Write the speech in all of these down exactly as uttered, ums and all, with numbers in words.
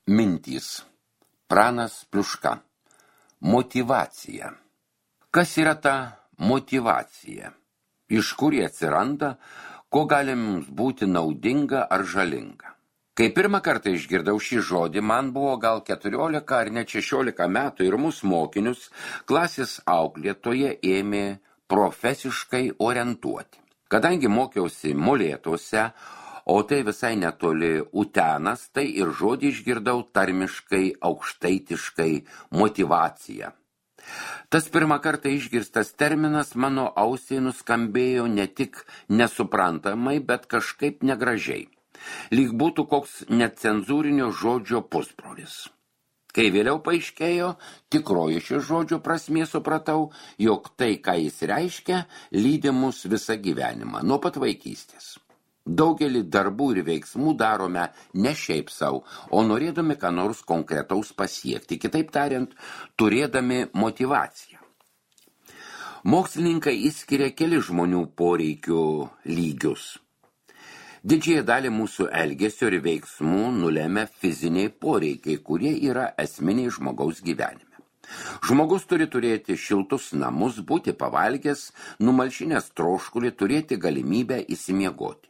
Mintys. Pranas Pliuška. Motyvacija. Kas yra ta motyvacija? Iš kur jie atsiranda, ko gali mums būti naudinga ar žalinga? Kai pirmą kartą išgirdau šį žodį, man buvo gal keturiolika ar net šešiolika metų ir mūsų mokinius klasės auklėtoje ėmė profesiškai orientuoti. Kadangi mokiausi Molėtuose, o tai visai netoli Utenas, tai ir žodį išgirdau tarmiškai, aukštaitiškai motyvacija. Tas pirmą kartą išgirstas terminas mano ausiai nuskambėjo ne tik nesuprantamai, bet kažkaip negražiai. Lyg būtų koks necenzūrinio žodžio pusbrolis. Kai vėliau paaiškėjo, tikroji šio žodžio prasmė supratau, jog tai, ką jis reiškia, lydi mus visą gyvenimą, nuo pat vaikystės. Daugelį darbų ir veiksmų darome ne šiaip savo, o norėdami ką nors konkretaus pasiekti, kitaip tariant, turėdami motyvaciją. Mokslininkai išskiria keli žmonių poreikių lygius. Didžiąją dalį mūsų elgesio ir veiksmų nulemia fiziniai poreikiai, kurie yra esminiai žmogaus gyvenime. Žmogus turi turėti šiltus namus, būti pavalgęs, numalšinęs troškulį, turėti galimybę įsimiegoti.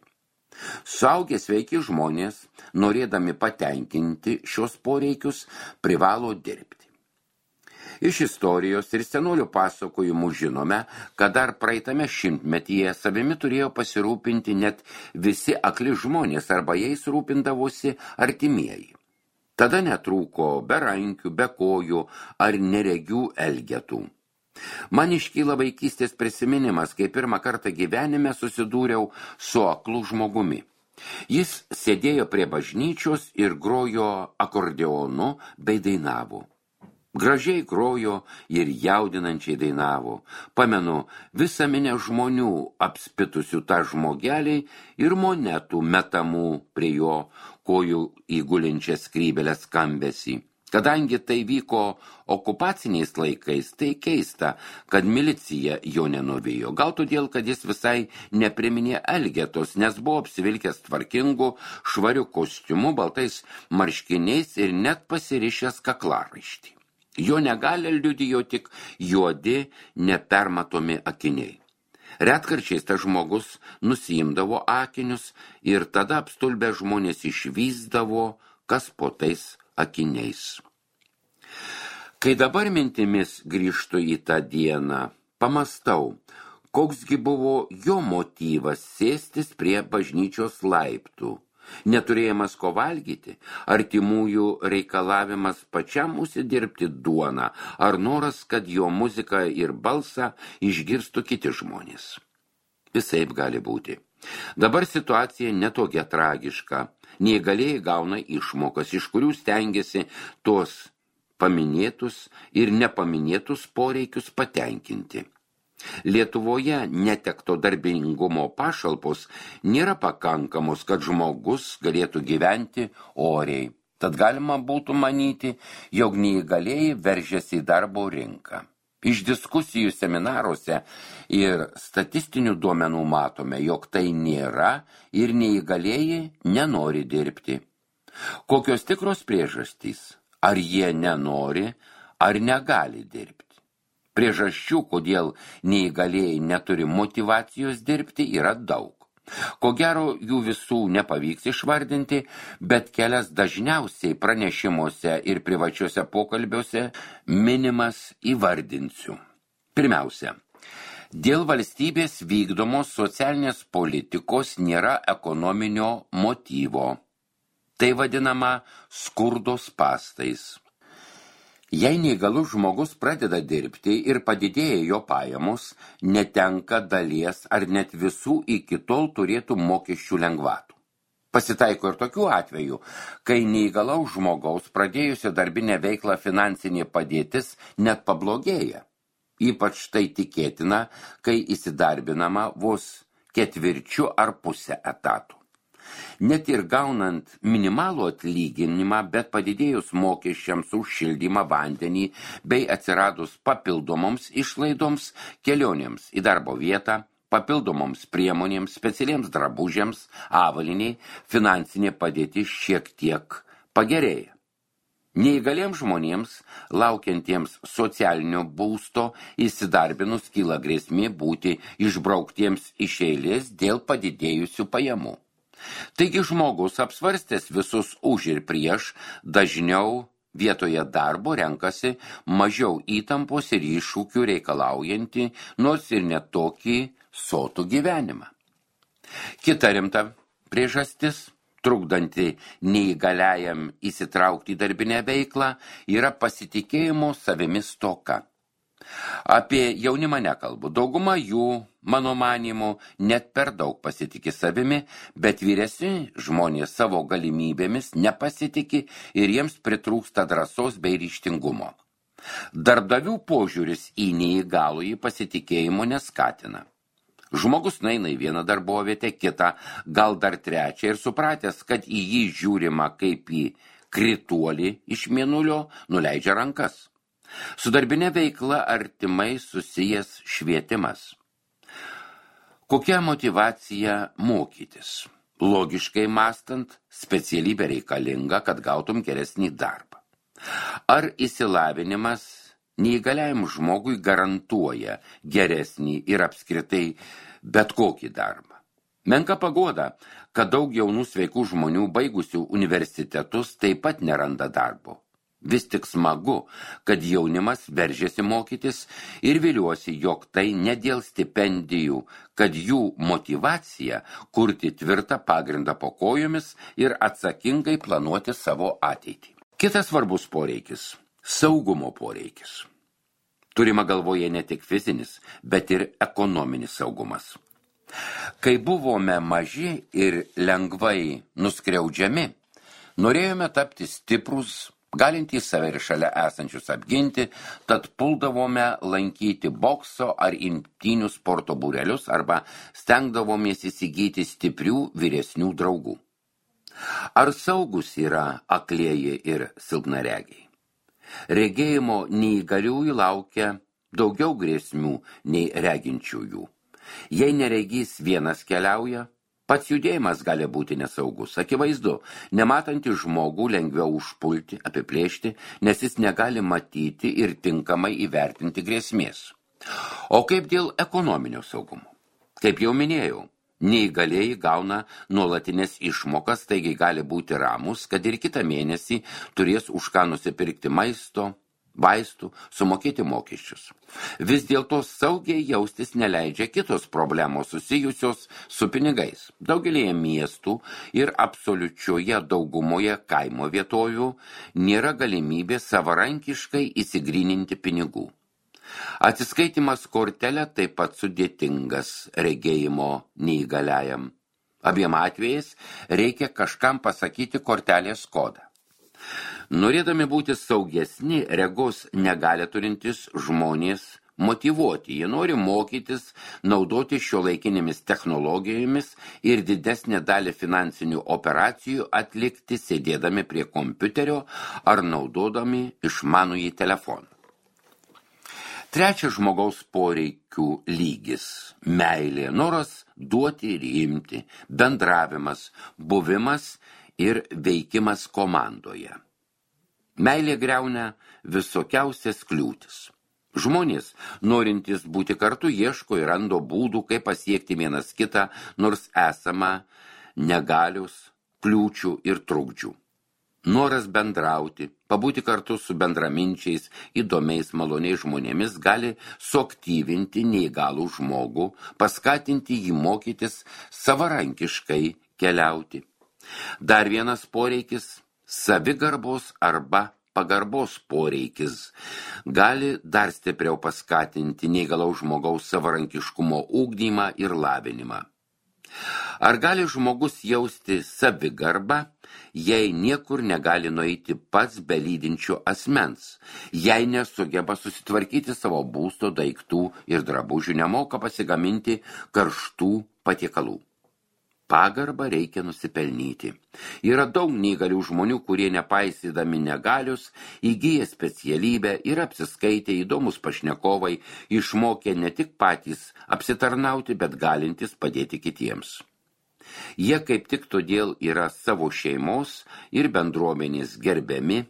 Suaugę sveiki žmonės, norėdami patenkinti šios poreikius, privalo dirbti. Iš istorijos ir senolių pasakojimų žinome, kad dar praeitame šimtmetyje savimi turėjo pasirūpinti net visi akli žmonės arba jais rūpindavosi artimieji. Tada netrūko berankių, bekojų ar neregių elgetų. Man iškyla vaikystės prisiminimas, kai pirmą kartą gyvenime susidūriau su aklu žmogumi. Jis sėdėjo prie bažnyčios ir grojo akordeonu bei dainavo. Gražiai grojo ir jaudinančiai dainavo. Pamenu visą minę žmonių apspitusių tą žmogelį ir monetų metamų prie jo kojų įgulinčią skrybelę skambesį. Kadangi tai vyko okupaciniais laikais, tai keista, kad milicija jo nenuvijo. Gal todėl, kad jis visai nepriminė elgetos, nes buvo apsivilkęs tvarkingu, švariu kostiumu, baltais marškiniais ir net pasirišęs kaklaraištį. Jo negali liudijo tik juodi, nepermatomi akiniai. Retkarčiais tas žmogus nusiimdavo akinius ir tada apstulbę žmonės išvysdavo, kas po tais akiniais. Kai dabar mintimis grįžtu į tą dieną, pamastau, koksgi buvo jo motyvas sėstis prie bažnyčios laiptų, neturėjimas ko valgyti, artimųjų reikalavimas pačiam užsidirbti duoną, ar noras, kad jo muziką ir balsą išgirstų kiti žmonės. Visaip gali būti. Dabar situacija netokia tragiška. Neįgalieji gauna išmokas, iš kurių stengiasi tuos paminėtus ir nepaminėtus poreikius patenkinti. Lietuvoje netekto darbingumo pašalpos nėra pakankamos, kad žmogus galėtų gyventi oriai. Tad galima būtų manyti, jog neįgalieji veržiasi į darbo rinką. Iš diskusijų seminaruose ir statistinių duomenų matome, jog tai nėra ir neįgalieji nenori dirbti. Kokios tikros priežastys? Ar jie nenori, ar negali dirbti? Priežasčių, kodėl neįgalieji neturi motyvacijos dirbti, yra daug. Ko gero, jų visų nepavyks išvardinti, bet kelias dažniausiai pranešimuose ir privačiuose pokalbiuose minimas įvardinsiu. Pirmiausia, dėl valstybės vykdomos socialinės politikos nėra ekonominio motyvo. Tai vadinama skurdo spąstais. Jei neįgalus žmogus pradeda dirbti ir padidėja jo pajamos, netenka dalies ar net visų iki tol turėtų mokesčių lengvatų. Pasitaiko ir tokių atvejų, kai neįgalaus žmogaus pradėjusio darbinę veiklą finansinė padėtis net pablogėja. Ypač tai tikėtina, kai įsidarbinama vos ketvirčiu ar pusę etatų. Net ir gaunant minimalų atlyginimą, bet padidėjus mokesčiams už šildymą, vandenį bei atsiradus papildomoms išlaidoms, kelionėms į darbo vietą, papildomoms priemonėms, specialiems drabužiams, avaliniai, finansinė padėtis šiek tiek pagerėja. Neįgaliems žmonėms, laukiantiems socialinio būsto, įsidarbinus kyla grėsmė būti išbrauktiems iš eilės dėl padidėjusių pajamų. Taigi žmogus apsvarstęs visus už ir prieš, dažniau vietoje darbo renkasi mažiau įtampos ir iššūkių reikalaujantį, nors ir netokį sotų gyvenimą. Kita rimta priežastis, trukdanti neįgaliajam įsitraukti į darbinę veiklą, yra pasitikėjimo savimi stoka. Apie jaunimą nekalbu. Dauguma jų, mano manymu, net per daug pasitikė savimi, bet vyresni žmonės savo galimybėmis nepasitikė ir jiems pritrūksta drąsos bei ryžtingumo. Darbdavių požiūris į neįgalųjį pasitikėjimo neskatina. Žmogus nueina į vieną darbovietę, kitą, gal dar trečią ir supratęs, kad į jį žiūrima kaip į krituolį iš mėnulio, nuleidžia rankas. Su darbinė veikla artimai susijęs švietimas. Kokia motyvacija mokytis? Logiškai mąstant, specialybė reikalinga, kad gautum geresnį darbą. Ar išsilavinimas neįgaliajam žmogui garantuoja geresnį ir apskritai bet kokį darbą? Menka pagoda, kad daug jaunų sveikų žmonių baigusių universitetus taip pat neranda darbo. Vis tik smagu, kad jaunimas veržiasi mokytis ir viliuosi, jog tai ne dėl stipendijų, kad jų motyvacija kurti tvirtą pagrindą po kojomis ir atsakingai planuoti savo ateitį. Kitas svarbus poreikis – saugumo poreikis. Turima galvoje ne tik fizinis, bet ir ekonominis saugumas. Kai buvome maži ir lengvai nuskriaudžiami, norėjome tapti stiprus, galintys save ir šalia esančius apginti, tad puldavome lankyti bokso ar imtynių sporto būrelius arba stengdavomės įsigyti stiprių vyresnių draugų. Ar saugus yra aklieji ir silpnaregiai? Regėjimo neįgaliųjų laukia daugiau grėsmių nei reginčiųjų. Jei neregys vienas keliauja, pats judėjimas gali būti nesaugus. Akivaizdu, nematantį žmogų lengviau užpulti, apiplėšti, nes jis negali matyti ir tinkamai įvertinti grėsmės. O kaip dėl ekonominio saugumo? Kaip jau minėjau, neįgalieji gauna nuolatinės išmokas, taigi gali būti ramus, kad ir kitą mėnesį turės už ką nusipirkti maisto, vaistų, sumokėti mokesčius. Vis dėlto saugiai jaustis neleidžia kitos problemos susijusios su pinigais. Daugelėje miestų ir absoliučioje daugumoje kaimo vietovių nėra galimybė savarankiškai įsigryninti pinigų. Atsiskaitimas kortelė taip pat sudėtingas regėjimo neįgaliajam. Abiem atvejais reikia kažkam pasakyti kortelės kodą. Norėdami būti saugesni, regos negali turintis žmonės motyvuoti. Jie nori mokytis, naudoti šiuolaikinėmis technologijomis ir didesnę dalį finansinių operacijų atlikti sėdėdami prie kompiuterio ar naudodami išmanųjį telefoną. Trečias žmogaus poreikių lygis – meilė, noras duoti ir imti, bendravimas, buvimas ir veikimas komandoje. Meilė griauna visokiausias kliūtis. Žmonės, norintys būti kartu, ieško ir rando būdų, kaip pasiekti vienas kitą, nors esama negalios, kliūčių ir trukdžių. Noras bendrauti, pabūti kartu su bendraminčiais, įdomiais, maloniais žmonėmis gali suaktyvinti neįgalų žmogų, paskatinti jį mokytis savarankiškai keliauti. Dar vienas poreikis – savigarbos arba pagarbos poreikis gali dar stipriau paskatinti neįgalaus žmogaus savarankiškumo ugdymą ir lavinimą. Ar gali žmogus jausti savigarbą, jei niekur negali nueiti pats be lydinčio asmens, jei nesugeba susitvarkyti savo būsto daiktų ir drabužių, nemoka pasigaminti karštų patiekalų? Pagarbą reikia nusipelnyti. Yra daug neįgalių žmonių, kurie nepaisydami negalius, įgyja specialybę ir apsiskaitė įdomus pašnekovai, išmokė ne tik patys apsitarnauti, bet galintys padėti kitiems. Jie kaip tik todėl yra savo šeimos ir bendruomenės gerbiami,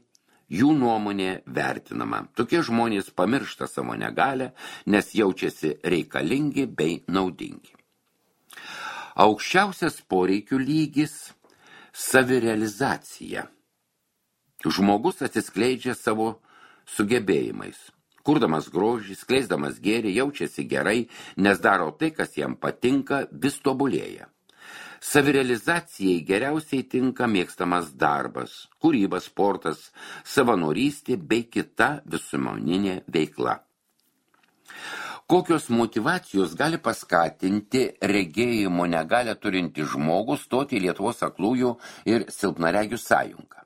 jų nuomonė vertinama. Tokie žmonės pamiršta savo negalią, nes jaučiasi reikalingi bei naudingi. Aukščiausias poreikių lygis – savirealizacija. Žmogus atsiskleidžia savo sugebėjimais. Kurdamas grožį, skleisdamas gėrį, jaučiasi gerai, nes daro tai, kas jam patinka, vis tobulėja. Savirealizacijai geriausiai tinka mėgstamas darbas, kūryba, sportas, savanorystė bei kita visuomeninė veikla. Kokios motyvacijos gali paskatinti regėjimo negalią turintį žmogų stoti į Lietuvos aklųjų ir silpnaregių sąjungą?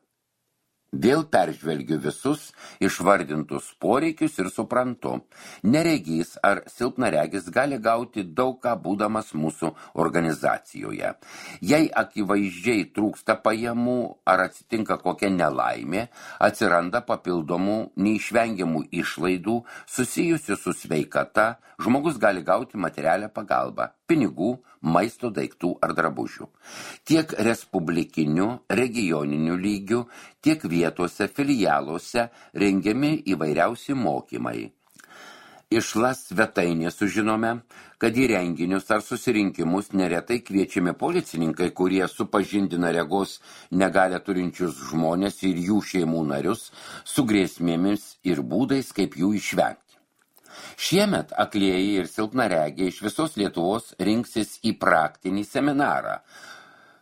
Vėl peržvelgiu visus išvardintus poreikius ir suprantu, neregys ar silpnaregis gali gauti daug ką būdamas mūsų organizacijoje. Jei akivaizdžiai trūksta pajamų ar atsitinka kokia nelaimė, atsiranda papildomų neišvengiamų išlaidų susijusių su sveikata, žmogus gali gauti materialią pagalbą, pinigų, maisto daiktų ar drabužių. Tiek respublikiniu, regioniniu lygiu, tiek vietose filialuose rengiami įvairiausi mokymai. Iš LAS svetainės sužinome, kad į renginius ar susirinkimus neretai kviečiami policininkai, kurie supažindina regos negalią turinčius žmonės ir jų šeimų narius su grėsmėmis ir būdais, kaip jų išvengti. Šiemet aklieji ir silpnaregiai iš visos Lietuvos rinksis į praktinį seminarą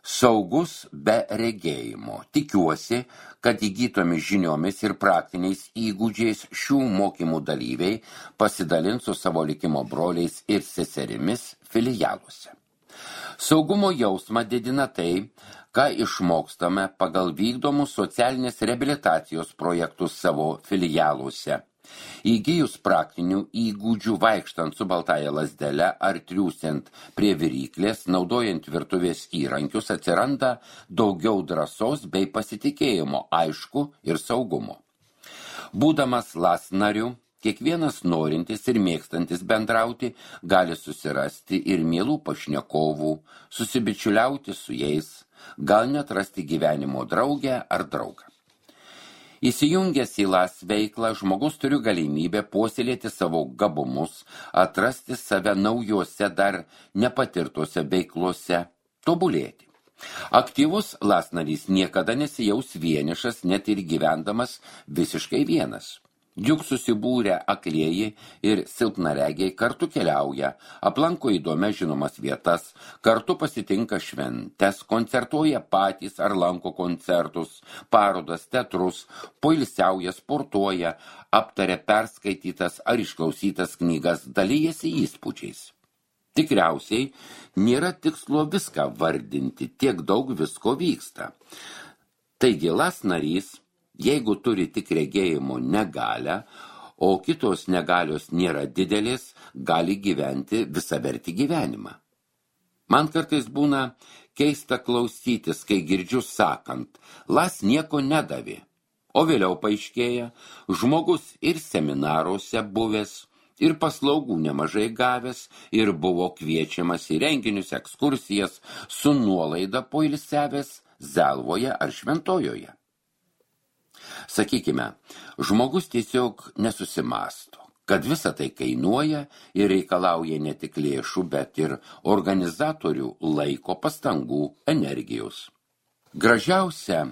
Saugus be regėjimo. Tikiuosi, kad įgytomis žiniomis ir praktiniais įgūdžiais šių mokymų dalyviai pasidalins su savo likimo broliais ir seserimis filialuose. Saugumo jausmą didina tai, ką išmokstame pagal vykdomus socialinės reabilitacijos projektus savo filialuose. Įgijus praktinių įgūdžių vaikštant su baltąja lazdele ar triūsiant prie viryklės, naudojant virtuvės įrankius, atsiranda daugiau drąsos bei pasitikėjimo, aišku, ir saugumo. Būdamas LAS nariu, kiekvienas norintis ir mėgstantis bendrauti gali susirasti ir mielų pašnekovų, susibičiuliauti su jais, gal net rasti gyvenimo draugę ar draugą. Įsijungęs į LAS veiklą, žmogus turi galimybę puoselėti savo gabumus, atrasti save naujose dar nepatirtose veiklose, tobulėti. Aktyvus LAS narys niekada nesijaus vienišas, net ir gyvendamas visiškai vienas. Juk susibūrę aklieji ir silpnaregiai kartu keliauja, aplanko įdomias žinomas vietas, kartu pasitinka šventes, koncertuoja patys ar lanko koncertus, parodas, teatrus, poilsiauja, sportuoja, aptaria perskaitytas ar išklausytas knygas, dalyjasi įspūdžiais. Tikriausiai nėra tikslo viską vardinti, tiek daug visko vyksta. Taigi LAS narys, jeigu turi tik regėjimo negalią, o kitos negalios nėra didelės, gali gyventi visavertį gyvenimą. Man kartais būna keista klausytis, kai girdžiu sakant, LAS nieko nedavė, o vėliau paaiškėja, žmogus ir seminaruose buvęs, ir paslaugų nemažai gavęs, ir buvo kviečiamas į renginius, ekskursijas, su nuolaida poilsiavęs Zelvoje ar Šventojoje. Sakykime, žmogus tiesiog nesusimąsto, kad visa tai kainuoja ir reikalauja ne tik lėšų, bet ir organizatorių laiko, pastangų, energijos. Gražiausia,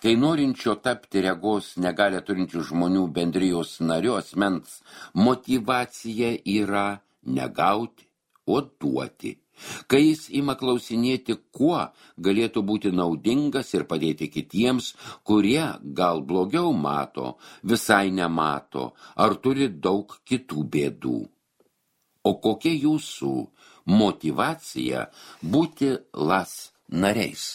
kai norinčio tapti regos negalią turinčių žmonių bendrijos nariu asmens motyvacija yra negauti, o duoti. Kai jis ima klausinėti, kuo galėtų būti naudingas ir padėti kitiems, kurie gal blogiau mato, visai nemato, ar turi daug kitų bėdų. O kokia jūsų motyvacija būti LAS nariais?